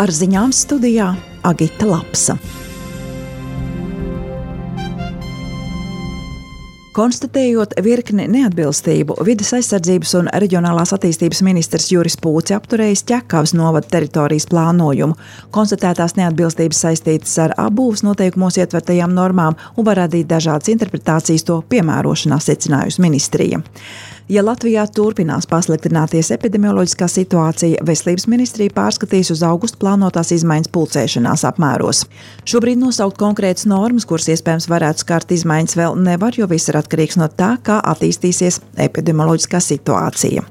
Ar ziņām studijā Agita Lapsa. Konstatējot virkni neatbilstību, Vides aizsardzības un reģionālās attīstības ministrs Juris Pūci apturējis Ķekavas novada teritorijas plānojumu. Konstatētās neatbilstības saistītas ar apbūves noteikumos ietvertajām normām un var radīt dažādas interpretācijas to piemērošanā, secinājusi ministrija. Ja Latvijā turpinās pasliktināties epidemioloģiskā situācija, Veselības ministrija pārskatīs uz augustu plānotās izmaiņas pulcēšanās apmēros. Šobrīd nosaukt konkrētas normas, kuras iespējams varētu skart izmaiņas, vēl nevar, jo viss ir atkarīgs no tā, kā attīstīsies epidemioloģiskā situācija.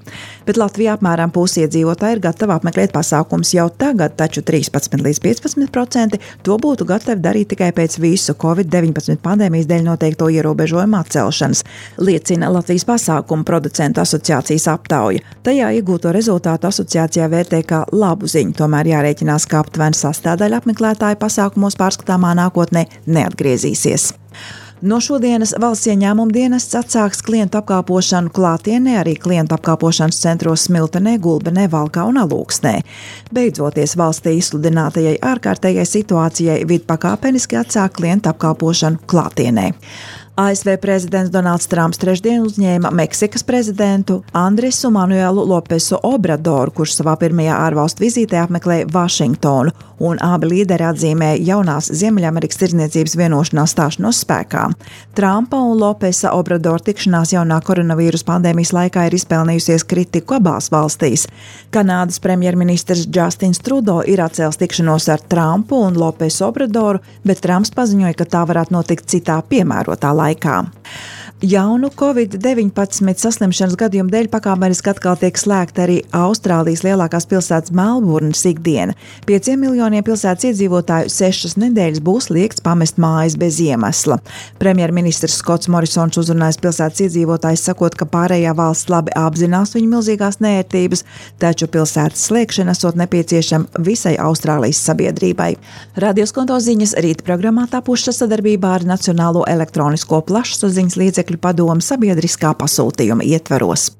Bet Latvijā apmēram pusi iedzīvotāji ir gatavi apmeklēt pasākumus jau tagad, taču 13 līdz 15% to būtu gatavi darīt tikai pēc visu Covid-19 pandēmijas dēļ noteikto ierobežojumu atcelšanas, liecina Latvijas pasākumu producentu asociācijas aptauja. Tajā iegūto rezultātu asociācijā vērtē kā labu ziņu, tomēr jārēķinās, ka aptuveni sastāvdaļa apmeklētāju pasākumos pārskatāmā nākotnē neatgriezīsies. No šodienas valsts ieņēmuma dienests atsāks klientu apkalpošanu klātienē, arī klientu apkalpošanas centros Smiltenē, Gulbenē, Valkā un Alūksnē. Beidzoties valstī izsludinātajai ārkārtējai situācijai, vidpakāpeniski atsāk klientu apkalpošanu klātienē. ASV prezidents Donalds Trumps trešdien uzņēma Meksikas prezidentu Andresu Manuelu Lopesu Obradoru, kurš savā pirmajā ārvalstu vizītē apmeklēja Vašingtonu, un abi līderi atzīmēja jaunās Ziemeļamerikas tirdzniecības vienošanās stāšanos spēkā. Trumpa un Lopesa Obradora tikšanās jaunā koronavīrus pandēmijas laikā ir izpelnījusies kritiku abās valstīs. Kanādas premjerministrs Justins Trudeau ir atcēlis tikšanos ar Trumpu un Lopesu Obradoru, bet Trumps paziņoja, ka tā varētu notikt citā piemērotā laikā. Jaunu Covid-19 saslimšanas gadījumu dēļ pakāpeniski atkal tiek slēgta arī Austrālijas lielākās pilsētas Melburnas ikdiena. 5 miljoniem pilsētas iedzīvotāju 6 nedēļas būs liegts pamest mājas bez iemesla. Premjerministrs Skots Morisons uzrunājis pilsētas iedzīvotājus, sakot, ka pārējā valsts labi apzinās viņu milzīgās neērtības, taču pilsētas slēgšana esot nepieciešama visai Austrālijas sabiedrībai. Radioskonto ziņas rīta programmā tapušas sadarbībā ar Nacionālo elektronisko plašsaziņas līdzekļu padomu sabiedriskā pasūtījuma ietvaros.